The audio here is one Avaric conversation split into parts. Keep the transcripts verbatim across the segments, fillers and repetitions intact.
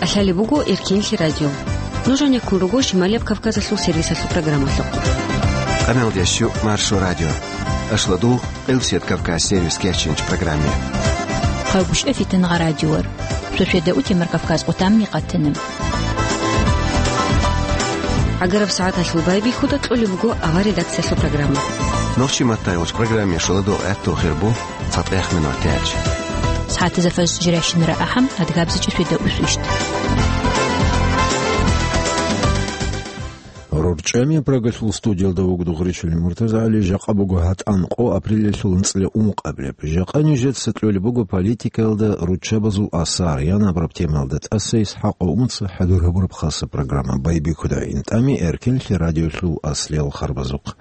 КӀалъалеб буго Эркенлъи радио. Нуж гьанеккун руго Шималияб Кавказалъул сервисалъул программалъухъ. Къамелдещу Маршо радио. Ашладугъ, Къилсият Кавказ сервис кечинч программе. Хъагушев Фитнагъа радиор. Шошеда утемар Кавказ къутамни къатанаб. ГӀагараб сагӀаталъул байбихьуда кьолеб буго авар редакциялъул программа. Нохчи маттайгъуч программе шоладо гӀатту хирбу. ЦатӀехмин ватилач. СагӀатазда фажр жирайщинара ахӀам, адгабзичӀеб шведа усвищ. РорчӀами Прагалъул студиялда вуго Дугъричилин МуртазагӀали. Жакъа буго гьатӀан къо, апрелалъул анцӀила ункъабилеб. Жакъа нижеца кьолеб буго политикаялда руччабазул асар, ян абураб темаялда тӀаса Исхакъ ва Умаца хӀадур гьабураб хаса программа. Байбихьуда гӀин тӀами Эркенлъи радиолъул аслиял харбазухъ.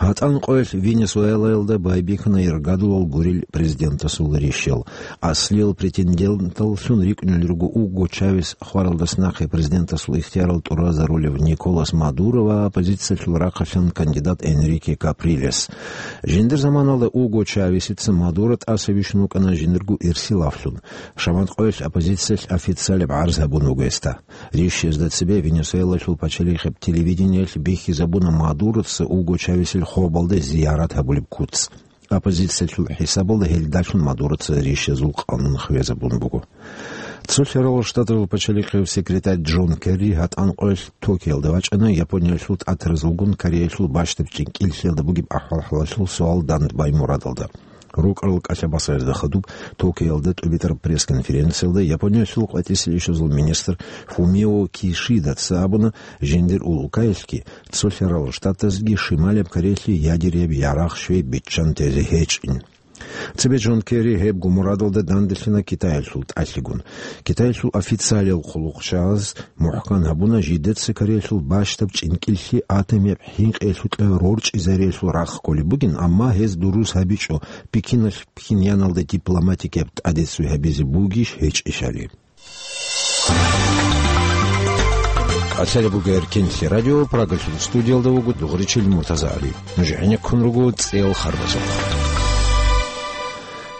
ГьатӀан къоялъ Венесуэлаялда байбихьана иргадулал гурел президентасул рищал. Аслиял претенденталлъун рикӀкӀунел руго Уго Чавес хваралдаса нахъе президентасул ихтиярал тӀуразарулев Николас Мадуро ва оппозициялъул рахъалъан кандидат Энрике Каприлес. Жиндир заманалда Уго Чавесица Мадуро тӀаса бищун вукӀана жиндирго ирсилавлъун. Шамат къоялъ оппозициялъ официалаб гӀарз гьабун вуго гьесда. Рищезда цебе Венесуэлалъул пачалихъеб телевидениялъ бихьизабуна Мадуроца Уго Чавесил хобалда зиярат гьабулеб куц. Оппозициялъул хӀисабалда гьелдалъун Мадуроца рищезул къанун хвезабун буго. Цо лъарал Штатазул пачалихъев секретарь Джон Керри гьатӀан къоялъ Токиоялда вачӀана Япониялъул тӀатаразулгун Кореялъул бащдаб чӀинкӀиллъиялда бугеб ахӀвал-хӀалалъул суал дандбай мурадалда. РукӀарал кӀалъабасаразда хадуб Токиоялда тӀубитӀараб пресс-конференциялда Япониялъул къватӀисел ишазул министр Фумио Кишидаца абуна, жиндир улкаялъги, цо лъарал Штатазги Шималияб Кореялъе ядераб ярагъ щвей биччан тезе гьечӀин. Цебе Джон Керри гьебго мурадалда данделъана Китаялъул тӀалъигун. Китаялъул официалиял хъулухъчагӀаз мухӀкан гьабуна, жидеца Кореялъул бащдаб чӀинкӀиллъи атомияб хӀинкъиялъукьа рорчӀизариялъул рахъ кколеб бугин, амма гьез дурус гьабичӀо Пекиналъ Пхеньяналда дипломатикияб тӀадеццуй гьабизе бугищ гьечӀищали. КӀалъалеб буго Эркенлъи радио, Прагалъул студиялда вуго Дугъричил МуртазагӀали. Нуж гӀенеккун руго цӀеял харбазухъ.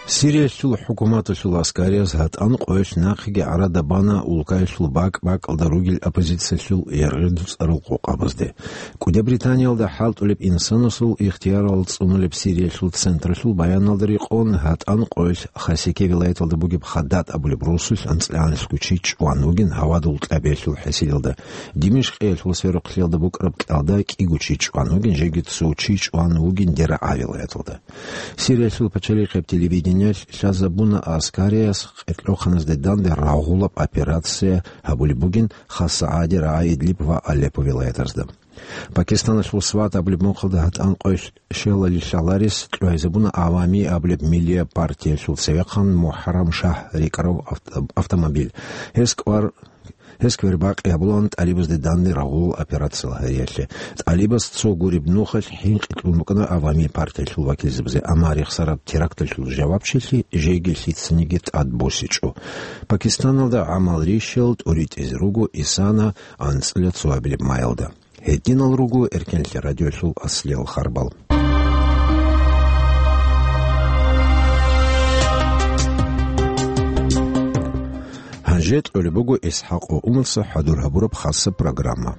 Сириялъул хӀукуматалъул аскарияз гьатӀан къоялъ нахъеги гӀарада бана улкаялъул бакӀ-бакӀалда ругел оппозициялъул яргъи-дуцӀарал къокъабазде. КӀудияб Британиялда хӀалтӀулеб инсанасул ихтиярал цӀунулеб Сириялъул централъул баяналда рекъон, гьатӀан къоялъ Хасике вилаяталда бугеб Хаддад абулеб росулъ анцӀила анлъго чи чӀван вугин гьавадул кьабиялъул хӀисиялда. Димишкъиялъул сверухълъиялда букӀараб кьалда кӀиго чи чӀван вугин, жеги цо чи чӀван вугин ДерагӀа вилаяталда. Сириялъул пачалихъеб телевидениялъ лъазабуна аскарияс къеркьохъаназде данде рагъулаб операция гьабулеб бугин хасагӀаде рагӀа Идлиб ва Алеппо вилаятазда. Пакистаналъул Сват абулеб мухъалда гьатӀан къоялъ щелали лъаларес кьвайзабуна Авами абулеб миллияб партиялъул цевехъан МухӀаррам Шагь рикӀкӀарав авто-, автомобиль. Гьес кӀвар-, гьес квербакъи гьабулаан тӀалибазде данде рагъулал операциял гьариялъе. ТӀалибаз цо гуреб нухалъ хӀинкъи кьун букӀана Авами партиялъул вакилзабазе, амма рехсараб теракталъул жавабчилъи жеги лъицаниги тӀад босичӀо. Пакистаналда гӀамал рищал тӀуритӀизе руго исана анцӀила цоабилеб майалда. Гьединал руго Эркенлъи радиолъул аслиял харбал. Гьанже тӀолеб буго Исхакъ ва Умарца хӀадур гьабураб хасаб программа.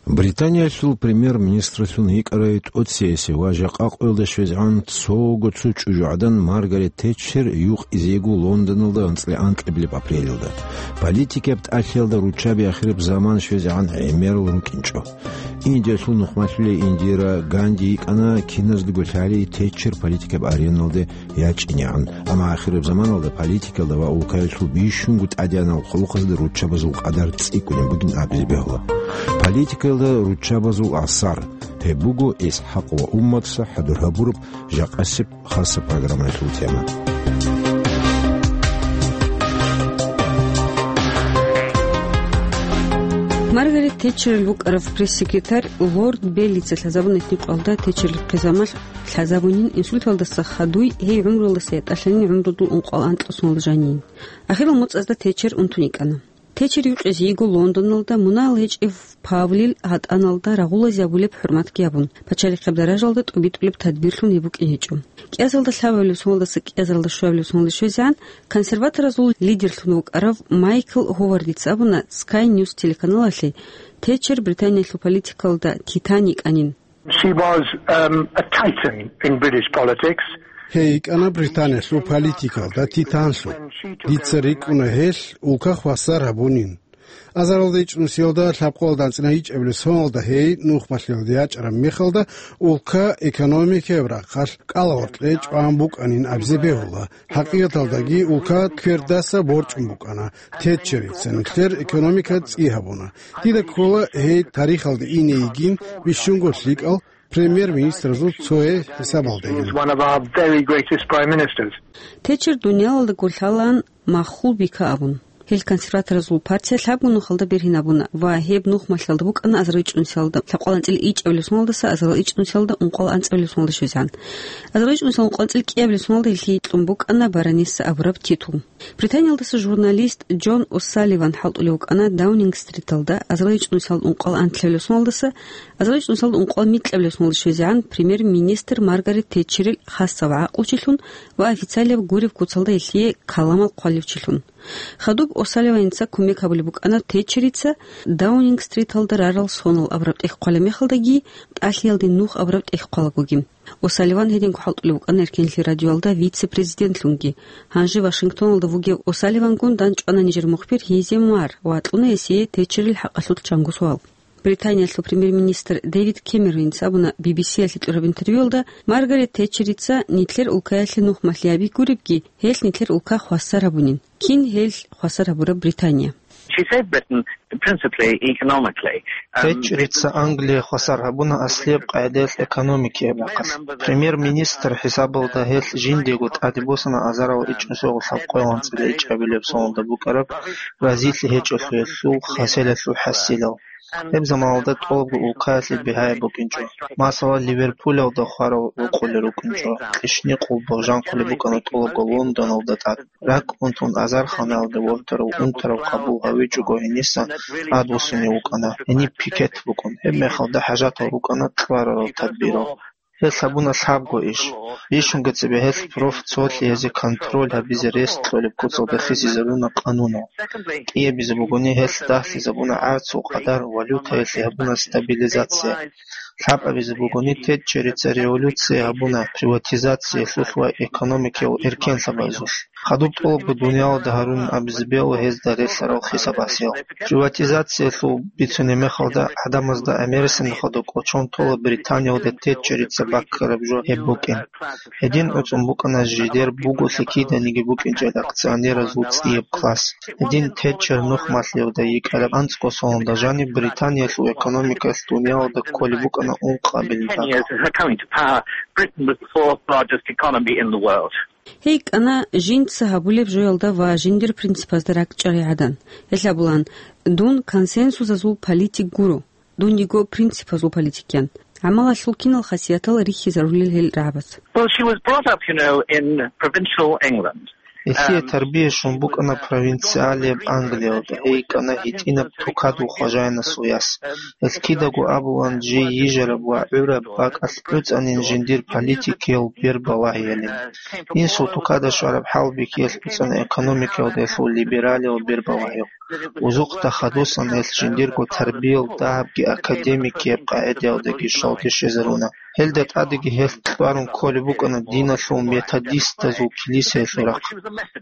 Британиялъул премьер-министралъун йикӀарай тӀоциясе ва жакъа къоялда щвезегӀан цого цо чӀужугӀадан Маргарет Тетчер юкъизего Лондоналда анцӀила анкьабилеб апрелалда. Политикияб тӀалъиялда руччаби ахираб заман щвезегӀан гӀемерал рукӀинчӀо. Индиялъул нухмалъулей Индира Ганди йикӀана киназдаго лъалей Тетчер политикияб ареналде ячӀинегӀан. Амма ахираб заманалда политикалда ва улкаялъул бищунго тӀадегӀанал хъулухъазда руччабазул къадар цӀикӀкӀунеб бугин абизе бегьула. Политикалда руччабазул асар. Гьеб буго Исхакъ ва Умматса хӀадур гьабураб жакъасеб хасаб программаялъул тема. Маргарет Тетчерил букӀараб пресс-секретарь Лорд Беллица лъазабуна гьитӀинаб къоялда Тетчерил хъизамалъ лъазабунин инсульталдаса хадуй, гьей гӀумруялдаса ятӀалъанин гӀумрудул ункъоялда анкьалъ соналда жанин. Ахирал моцӀазда Тетчер унтун йикӀана. Течер юкъизе йиго Лондоналда мунагьал гьечӀев Павлил гьатӀаналда рагъулазе гьабулеб хӀурматги гьабун, пачалихъеб даражалда тӀубитӀулеб тадбирлъун гьеб букӀин гьечӀо. КӀиазалда лъабабилеб соналдаса кӀиазалда щуабилеб соналде щвезегӀан консерваторазул лидерлъун вукӀарав Майкл Говардица абуна Sky News телеканалалъе, Течер Британиялъул политикалда титан йикӀанин. She was, um, a titan in British politics. Гьей йикӀана Британиялъул политикалда титанлъун. Дица рикӀкӀуна гьелъ улка хвасар гьабунин. Азаралда ичӀнусиялда лъабкъоялда анцӀила ичӀабилеб соналда гьей нухмалъиялда ячӀараб мехалда улка экономикаяб рахъалъ кӀалагъоркье чӀван букӀанин абизе бегьула. ХӀакъикъаталдаги улка квердаса борчӀун букӀана. Тетчерица нилъер экономика цӀи гьабуна. Дида ккола гьей тарихалда ине йигин бищунго лъикӀал премьер-министразул цое хӀисабалдайин. One of our very greatest prime ministers. Тетчер дуниялалда гурлъалаан маххул бика абун. Гьел консерваторазул партия лъабго нухалда бергьинабуна ва гьеб нухмалъиялда букӀана азарал ичӀнусиялда лъабкъоялда анцӀила ичӀабилеб соналдаса азарал ичӀнусиялда ункъоялда анцӀабилеб соналда щвезегӀан. Азарал ичӀнусиялда ункъоялда анцӀила кӀиабилеб соналда гьелъие кьун букӀана баронесса абураб титул. Британиялдаса журналист Джон О'Салливан хӀалтӀулев вукӀана Даунинг-стриталда азарал ичӀнусиялда ункъоялда анлъабилеб соналдаса азарал ичӀнусиялда ункъоялда микьабилеб соналда щвезегӀан премьер-министр Маргарет Тетчерил хасав гӀакълучилъун ва официалияб гуреб куцалда гьелъие каламал хъвалев чилъун. Хадуб О'Салливаница кумек гьабулеб букӀана Тетчерица Даунинг-стриталда рарал сонал абураб тӀехь хъвалеб мехалдаги, тӀалъиялде нух абураб тӀехь хъвалагоги. О'Салливан гьединго хӀалтӀулев вукӀана Эркенлъи радиоялда вице-президентлъунги. Гьанже Вашингтоналда вугев О'Салливангун дандчӀвана нижер мухбир Гьези Мар ва кьуна гьесие Тетчерил хӀакъалъулъ чанго суал. Британиялъул премьер-министр Дэвид Кэмероница абуна Би Би Си-ялъе кьураб интервьюялда, Маргарет Тетчерица нилъер улкаялъе нухмалъи гьаби гуребги, гьелъ нилъер улка хвасар гьабунин. Кин гьелъ хвасар гьабураб Британия? She saved Britain principally economically. Um, Тетчерица Англия хвасар гьабуна аслияб къагӀидаялъ экономикияб рахъалъ. Премьер-министр хӀисабалда гьелъ жиндиего тӀаде босана азарал ичӀнусиялда лъабкъоялда анцӀила ичӀабилеб соналда букӀараб разилъи гьечӀолъиялъул хасилалъул хӀасилал. Гьеб заманалда тӀолабго улкаялъе бигьаяб букӀинчӀо. Масала, Ливерпулалда хварал рокъулел рукӀинчӀо, кьишникъул боржанхъулеб букӀана тӀолабго Лондоналда тӀад. РакӀ унтун азарханалде вортарав унтарав къабул гьавичӀого гьениса тӀадвуссунев вукӀана, гьениб пикет букӀун. Гьеб мехалда хӀажатал рукӀана кьварарал тадбирал. Гьелъ гьабуна лъабго иш. Бищунго цебе гьелъ профсоюзлъи гьезие контроль гьабизе рес кьолеб куцалда хисизаруна къанунал. КӀиабизе бугони, гьелъ дагьлъизабуна гӀарцул къадар, валютаялъе гьабуна стабилизация. Лъабабизе бугони, Тетчерица революция гьабуна приватизациялъулъ ва экономикиял эркенлъабазулъ. Хадуб тӀолабго дуниялалда гьарун абизе бегьула гьезда релълъарал хисабасел. Приватизациялъул бицунеб мехалда гӀадамазда гӀемерисеб нухалда кӀочон тола Британиялда Тетчерица баккараб жо гьеб букӀин. Гьедин гӀуцӀун букӀана жидер буголъи киданиги букӀинчӀел акционеразул цӀияб класс. Гьедин Тетчер нухмалъиялда йикӀараб анцӀго соналда жаниб Британиялъул экономикалъ дуниялалда кколеб букӀана ункъабилеб Ten years бакӀ. Of her coming to power, Britain was the fourth largest economy in the world. Гьей кӀана жинца гьабулеб жоялда ва жиндир принципазда ракӀчӀарай гӀадан. Гьелъ абулаан, дун консенсусазул политик гуро, дун йиго принципазул политикян. ГӀамалалъул кинал хасиятал рихьизарулел гьел рагӀабаз. Well, she was brought up, you know, in provincial England. Гьесие Um, тарбия щун букӀана провинциалияб Англиялда, гьей кӀана гьитӀинаб тукадул хважаянасул яс. Гьелъ кидаго абулаан, жий йижараб ва гӀураб бакӀалъ гӀуцӀанин жиндир политикиял бербалагьиялин. Инсул тукада щвараб хӀалбихьиялъ гӀуцӀана экономикаялда гьелъул либералиял бербалагьиялъ. Узухъда хадусан гьелъ жиндирго тарбиял дагьабги академикияб къагӀидаялдаги щвалде щвезаруна. Гьелда тӀадеги гьелъ кьварун кколеб букӀана диналъул методистазул килисаялъул рахъ.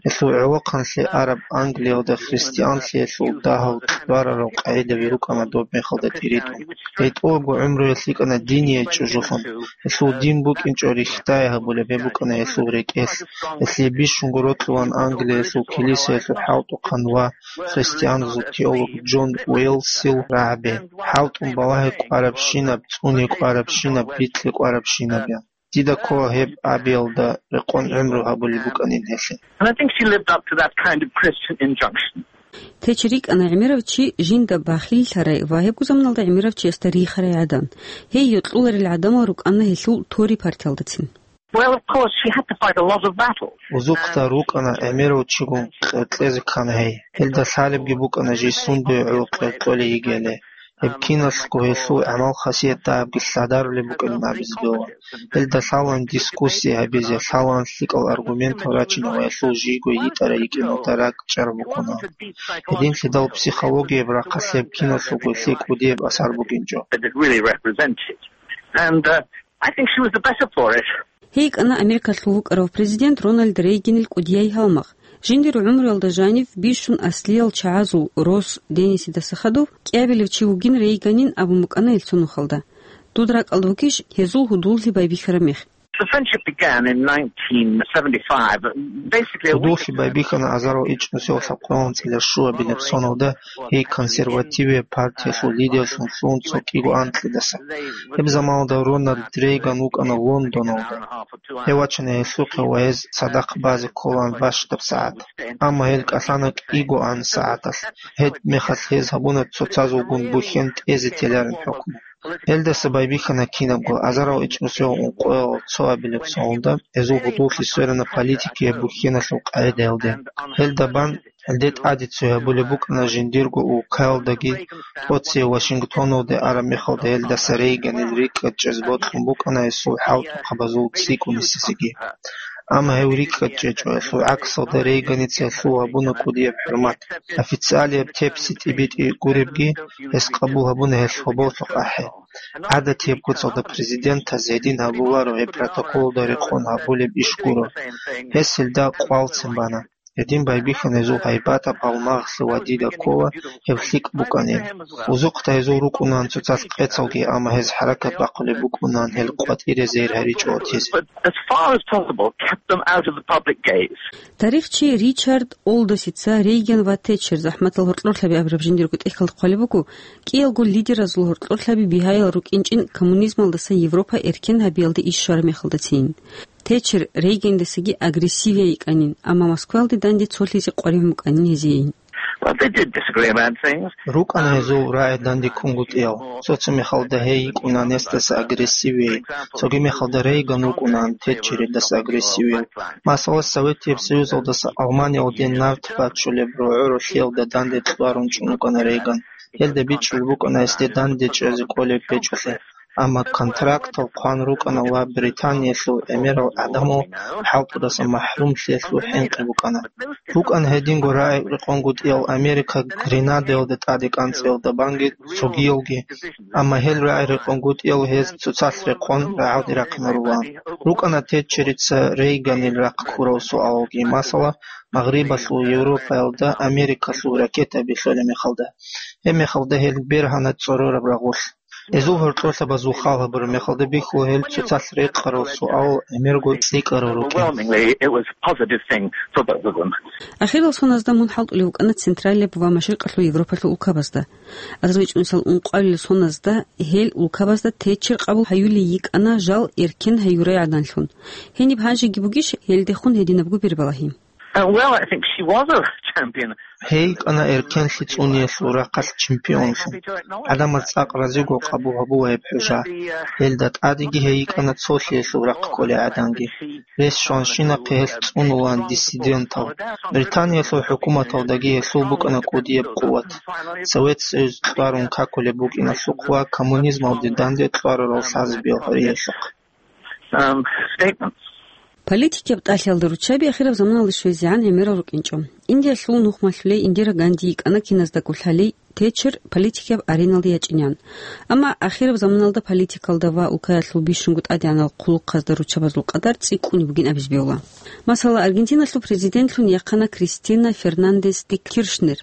Гьелъул гӀолохъанлъи араб Англиялда христианлъиялъул дагьал кьварарал къагӀидаби рукӀана доб мехалда тӀиритӀун. Гьей тӀолабго гӀумруялъ йикӀана диния чӀужулъун. Гьелъул дин букӀинчӀо рихьдай гьабулеб гьеб букӀана гьелъул рекӀелъ. Гьелъие бищунго рокьулаан Англиялъул килисаялъул хӀалтӀухъан ва христианазул теолог Джон Уэллсил рагӀаби: «ХӀалтӀун балагьи кӀварабщинаб, цӀуни кӀварабщинаб, бикьи кӀварабщинаб», – ян. Дида ккола гьеб абиялда рекъон гӀумру гьабулеб букӀанин гьелъе. And I think she lived up to that kind of Christian injunction. Течер йикӀана гӀемерав чи жинда бахиллъарай ва гьебго заманалда гӀемерав чиясда рихарай гӀадан. Гьей йокьуларел гӀадамал рукӀана гьелъул Тори партиялдацин. Well, of course, she had to fight a lot of battles. Узухъда рукӀана гӀемерав чигун кьеркьезе ккана гьей. Гьелда лъалебги букӀана жий сундуе гӀоло кьеркьолей йигели. Гьеб киналъго гьелъул гӀамал-хасият дагьабги лъадарулеб букӀин абизе бегьула. Гьелда лъалаан дискуссия гьабизе, лъалаан лъикӀал аргументал рачине ва гьелъул жийго йитӀарай йикӀиналда ракӀчӀараб букӀуна. Гьединлъидал психологияб рахъалъ гьеб киналъулго лъикӀ кӀудияб асар бугинчӀо. That it really represented. And, uh, I think she was the better for it. Гьей йикӀана Америкалъул вукӀарав президент Роналд Рейганил кӀудияй гьалмагъ. Жиндир гӀумруялда жанив бищун аслиял чагӀазул рос Денисидаса хадув кӀиабилев чи вугин Рейганин абун букӀана ил цо нухалда. Дуда ракӀалда вукӀищ гьезул гьудуллъи байбихьараб мех? The friendship began in nineteen seventy-five. Basically, a week... Гьудуллъи байбихьана азарал ичӀнусиялъа къоялъ цӀилан щуабилеб соналда гьей консервативияб партиялъул лидерлъун лъугӀун цо кӀиго анкьидаса. Гьеб заманалда Роналд Рейган вукӀана Лондоналда. Гьев вачана гьелъухъе ва гьез цадахъ базе кколаан бащдаб сагӀат. Амма гьел кӀалъана кӀиго ан сагӀаталъ. Гьеб мехалъ гьез гьабуна цоцазулгун бухьен тӀезе теларин хӀукму. Гьелдаса байбихьана кинабго азарал ичӀнусиялъа ункъоялъа цоабилеб соналда гьезул гьудуллъи сверана политикияб бухьеналъул къагӀидаялде. Гьелда бан гьелде тӀаде цоябулеб букӀана жиндирго улкаялдаги, тӀоцебе Вашингтоналде араб мехалда гьелдаса Рейганил рикӀкӀад чӀезе бокьун букӀана гьесул хӀалтӀухъабазул цӀикӀкӀунисесеги. Амма гьев рикӀкӀад чӀечӀо, гьелъул гӀаксалда Рейганица гьелъул гьабуна кӀудияб хӀурмат. Официалияб тепси тӀибитӀи гуребги, гьес къабул гьабуна гьелъ гьоболлъухъ ахӀи. ГӀадатияб куцалда президентаз гьедин гьабуларо гьеб протоколалда рекъон гьабулеб иш гуро. Гьес гьелда къвалцин бана. Гьедин байбихьана гьезул гьайбатаб гьалмагълъи ва дида ккола гьеб лъикӀ букӀанин. Узухъда гьезул рукӀунаан цоцалъ къецалги, амма гьез хӀаракат бахъулеб букӀунаан гьел къватӀире зейр гьаричӀо гьатизе. But as far as possible, kept them out of the public gaze. Тарихчи Ричард Олдосица Рейган ва Тетчер, захӀматал гьоркьорлъаби абураб жиндирго тӀехьалда хъвалеб буго, кӀиялго лидеразул гьоркьорлъаби бигьаял рукӀинчӀин коммунизмалдаса Европа эркен гьабиялде иш щвараб мехалдацин. Тетчер Рейгандасаги агрессивияй йикӀанин, амма Москваялде данде цолъизе къваригӀун букӀанин гьезиейин. Well, they did disagree about things. РукӀана гьезул рагӀи данде ккунгутӀиял. Цо-цо мехалда гьей йикӀунаан гьесдаса агрессивияй, цоги мехалда Рейган вукӀунаан Тетчеридаса агрессивияв. Масала, Советияб Союзалдаса Алманиялде нарт бачулеб рогӀо-ролъиялда данде кьварун чӀун вукӀана Рейган. Гьелда бичӀчӀулеб букӀана гьесде данде чӀезе кӀолеб гьечӀолъи. Амма контрактал хъван рукӀана ва Британиялъул гӀемерал гӀадамал хӀалтӀудаса махӀрумлъиялъул хӀинкъи букӀана. БукӀана гьединго рагӀи рекъонгутӀиял Америка Гренадаялда тӀаде кӀанцӀиялда банги цогиялги, амма гьел рагӀи рекъонгутӀиял гьез цоцалъ рехъон рагӀалде рахъинарулаан. РукӀана Тетчерица Рейганил рахъ ккурал суалалги, масала, Магърибалъул Европаялда Америкалъул ракетаби лъолеб мехалда. Гьеб мехалда гьел бергьана цӀорораб рагъулъ. Гьезул гьоркьорлъабазул хал гьабураб мехалда бихьула гьел цоцалъ рекъарал суал гӀемерго цӀикӀкӀарал рукӀин. Overwhelmingly, it was a positive thing for both of them. Ахирал соназда мун хӀалтӀулев вукӀана Централияб ва Машрикъалъул Европалъул улкабазда. АзарбайчӀунисал ункъоялил соназда гьел улкабазда Тетчер къабул гьаюлей йикӀана жал эркен гьаюрай гӀаданлъун. Гьениб гьанжеги бугищ гьелдехун гьединабго бер балагьи? Uh, well, I think she was a champion. Гьей йикӀана эркенлъи цӀуниялъул рахъалъ чемпионлъун. ГӀадамаз цӀакъ разиго къабул гьабула гьеб хӀужа. Гьелда тӀадеги гьей йикӀана цолъиялъул рахъ кколей гӀаданги. Рес щванщинахъе гьелъ цӀунулаан диссидентал. Британиялъул хӀукуматалдаги гьелъул букӀана кӀудияб къуват. Совет Союз кьварун какулеб букӀиналъухъ ва коммунизмалде данде кьварурал лъазабиял гьориялъухъ. Um, statements. Политикияб тӀалъиялда руччаби ахираб заманалда щвезегӀан гӀемерал рукӀинчӀо. Индиялъул нухмалъулей Индира Ганди йикӀана киназдаго лъалей Тетчер политикияб ареналде ячӀинегӀан. Амма ахираб заманалда политикалда ва улкаялъул бищунго тӀадегӀанал хъулухъазда руччабазул къадар цӀикӀкӀунеб бугин абизе бегьула. Масала, Аргентиналъул президентлъун яхъана Кристина Фернандес де Киршнер.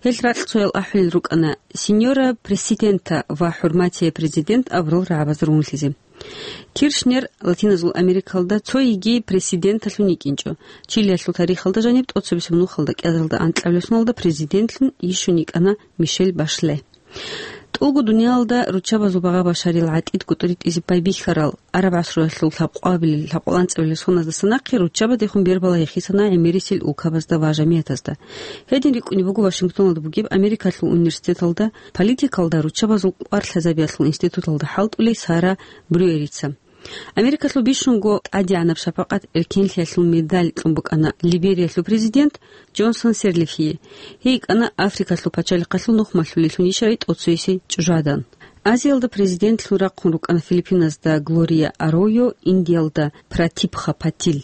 Гьел ракь цоял ахӀулел рукӀана Синьора Президента ва ХӀурматияй Президент абурал рагӀабазда ругьунлъизе. Киршнер Латиназул Америкалда цо йигей президенталъун йикӀинчӀо. Чилиялъул тарихалда жаниб тӀоцебесеб нухалда кӀиазарда анкьабилеб соналда президентлъун йищун йикӀана Мишель Башле. ТӀулго дуниялалда руччабазул багъа-башарил гӀатӀид гутӀри тӀизе байбихьарал араб гӀасруялъул лъабкъоабилел, лъабкъоялда анцӀабилел соназдаса нахъе руччабаздехун бербала гьехисана гӀемерисел улкабазда ва жамигӀатазда. Гьедин рикӀкӀунеб буго Вашингтоналда бугеб Америкалъул университеталда политикалда руччабазул кӀвар лъазабиялъул институталда хӀалтӀулей Сара Брюерица. Америкалъул бищунго тӀадегӀанаб шапакъат эркенлъиялъул медаль кьун букӀана Либериялъул президент Джонсон Серлифие. Гьей йикӀана Африкалъул пачалихъалъул нухмалъулелъун ишарай тӀоцоясе чӀужугӀадан. Азиялда президентлъун рахъун рукӀана Филиппиназда Глория Аройо, Индиялда Пратибха Патил.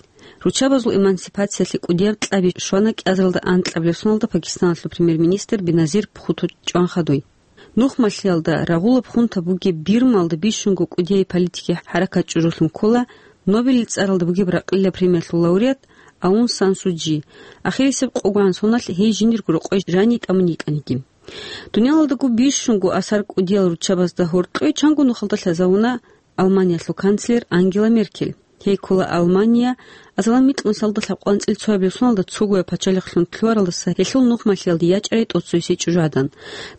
Руччабазул эмансипациялъе кӀудияб кьаби щвана кӀиазаралда анкьабилеб соналда Пакистаналъул премьер-министр Беназир Бхутто чӀван хадуй. Нухмалъиялда рагъулаб хунта бугеб Бирмалда бищунго кӀудияй политикияй хӀаракат чӀужулъун ккола Нобелил цӀаралда бугеб ракъилаб премиялъул лауреат Аун Сан Су Чжи. Ахирисеб къогогӀан соналъ гьей жиндирго рокъой жанив тӀамун йикӀаниги. Дуниялалдаго бищунго асар кӀудиял руччабазда гьоркьой чанго нухалда лъазавуна Алманиялъул канцлер Ангела Меркель. Гьей ккола Алмания азалан микьнусалда лъабкъоялда анцӀил цоабилеб соналда цогояб пачалихълъун лъугьаралдаса гьелъул нухмалъиялде ячӀарай тӀоцоясе чӀужугӀадан.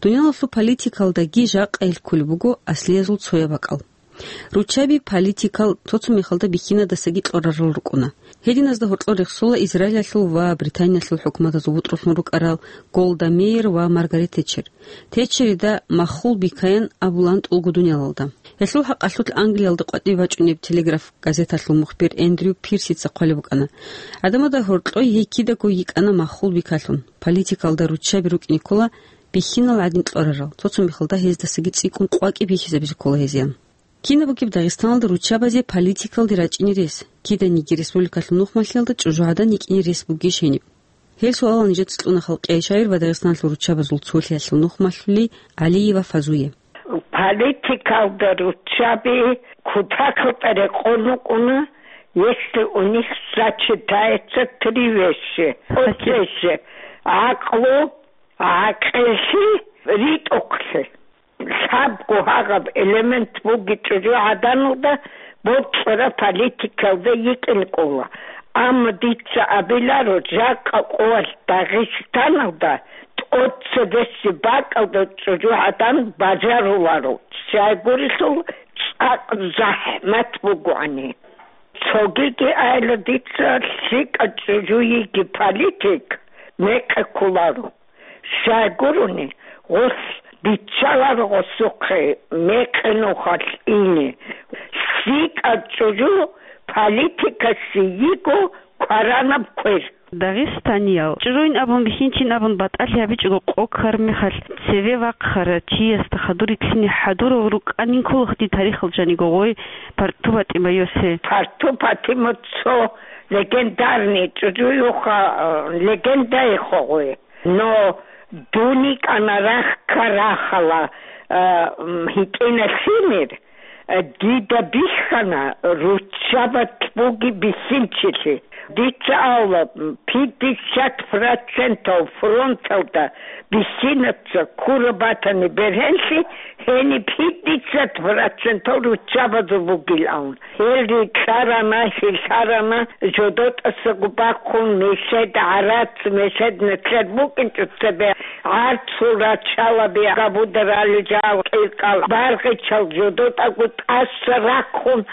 Дуниялалъул политикалдаги жакъа гьел кколеб буго аслиязул цояб бакӀал. Руччаби политикал цо-цо мехалда бихьинадасаги кьорарал рукӀуна. Гьединазда гьоркьор рехсола Израилалъул ва Британиялъул хӀукуматазул бутӀрулъун рукӀарал Голда Меир ва Маргарет Тетчер. Тетчерида маххул бикаян абулаан тӀулго дуниялалда. Гьелъул хӀакъалъулъ Англиялда къватӀибе бачӀунеб Телеграф газеталъул мухбир Эндрю Пирсица хъвалеб букӀана: «ГӀадамазда гьоркьой гьей кидаго йикӀана маххул бикалъун, политикалда руччаби рукӀине ккола бихьинал гӀадин кьорарал, цо-цо мехалда гьездасаги цӀикӀкӀун къвакӀи бихьизабизе ккола гьезие». Кинаб бугеб Дагъистаналда руччабазе политикалде рачӀине рес? Киданиги республикалъул нухмалъиялда чӀужугӀадан йикӀине рес бугищ гьениб? Гьел суалал нижеца кьуна Халкъияй шагьир ва Дагъистаналъул руччабазул цолъиялъул нухмалъули ГӀалиева Фазуе. Политикалда руччаби кутакалда рекъон рукӀуна, если у них сочетаются три вещи. Гьачи. Оцезе гӀакълу, гӀакъиллъи, ритӀухълъи. Лъабго гьагъаб элемент буги чӀужугӀаданалда, бокьараб политикалда йикӀин кӀола. Амма дица абиларо, жакъа къоялъ Дагъистаналда тӀоцебесеб бакӀалда чӀужугӀадан бажаруларо, щайгурелъул цӀакъ захӀмат бугоани. Цогиги айла дица лъикӀа чӀужу йиги политик мекъи кколаро. Щайгурони, гъос биччаларо гъосухъе мекъи нухалъ ине. ЛъикӀаб чӀужу политикасе йиго кваранаб квер. Дагъистаниял чӀужуин абун, бихьинчин абун батӀалъи гьабичӀого къо ккараб мехалъ, цеве вахъарав чиясда хадур рилълъине хӀадурал рукӀанин кколаха дир тарихалда жаниго гъой Парту ПатӀимаевасе. Парту ПатӀимат цо легендарный чӀужуюха, э, легендаеха гъой. Но дун йикӀана рахь ккарахъала, а, м, гьитӀина лъимер, а, дида бихьана руччабат буги бихьинчилъи. Дица авла, м, пятьдесят процентов фронталда бихьинаца ккураб батани бергьенлъи, гьениб пятьдесят процентов руччабазул бугилан. Гьел рикьарана, хьилъарана, жодотӀасаго бахъун, мешед гӀарац, мешед нилъер букӀинчӀо цебе гӀарцул рачалаби, габударали жал кьиркьал баргъичал жодотӀаго тӀаса рахъун,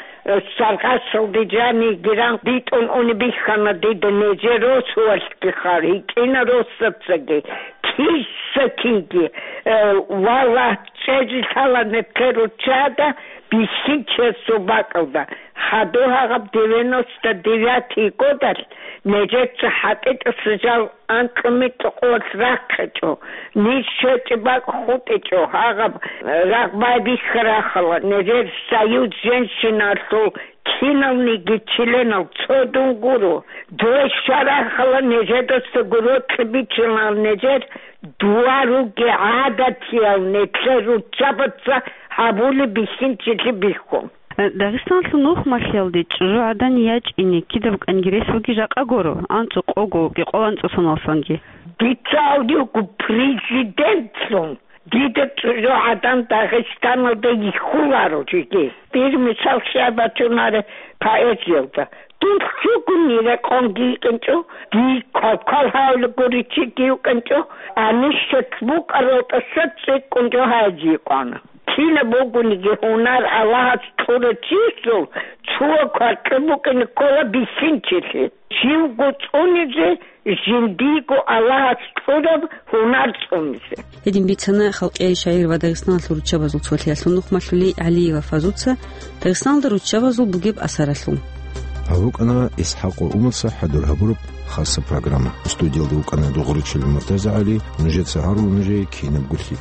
саргъашалде жаниги ран дитӀун уни бихьана дида нижер росуялъги хар, гьитӀина росацаги, киса-кинги, э, валлагь, чӀезе лъала нилъер руччада, бихьинчиясул бакӀалда. Хадур гьагъаб девяносто девятый годалъ нижеца хӀатӀичӀоса жал анкьумитӀ къолъ рахъичӀо, ниж щвечӀеб бакӀ хутӀичӀо, гьагъаб рагъ байбихьарахъала, нижер Союз женщиналъул киналниги членал цо дун гуро. Дой щварахъала нижедаса гуро кьибичилан нижер дуа руги гӀадатиял нилъер руччабаца гьабулеб бихьинчилъи бихьун. Дагъистаналъул нухмалъиялде чӀужугӀадан ячӀине кидаб кӀанги рес буги жакъа гуро, анцӀу къого, кӀикъоялда анцӀу соналдасанги. Дица авлиего президентлъун дида чӀужугӀадан Дагъистаналда йихьуларо жеги. Дир мисал щай бачунареб поэзиялда. Дун лъугьунел рекъонги йикӀинчӀо, дир квалквал гьавилаго риччиги йукӀинчӀо, гьанищ букӀарал тӀаса цӀикӀкӀунчӀо гьайзе йикъана. Кинаб бугониги гьунар Аллагьас Урачиясул цо кваркье букӀине ккола бицинчилъи. Живго цӀунизе, жиндиего Аллагьас кьураб гьунар цӀунизе. Гьедин бицана халкъияй шагӀир ва Дагъистаналъул руччабазул цолъиялъул нухмалъулей ГӀалиева Фазуца Дагъистаналда руччабазул бугеб асаралъул. Гьаб букӀана ИсхӀакъ ва Умарца хӀадур гьабураб хасаб программа. Студиялда вукӀана Дугъричилан МуртазагӀали, нужеца гьарула нужее кинаб гулъи.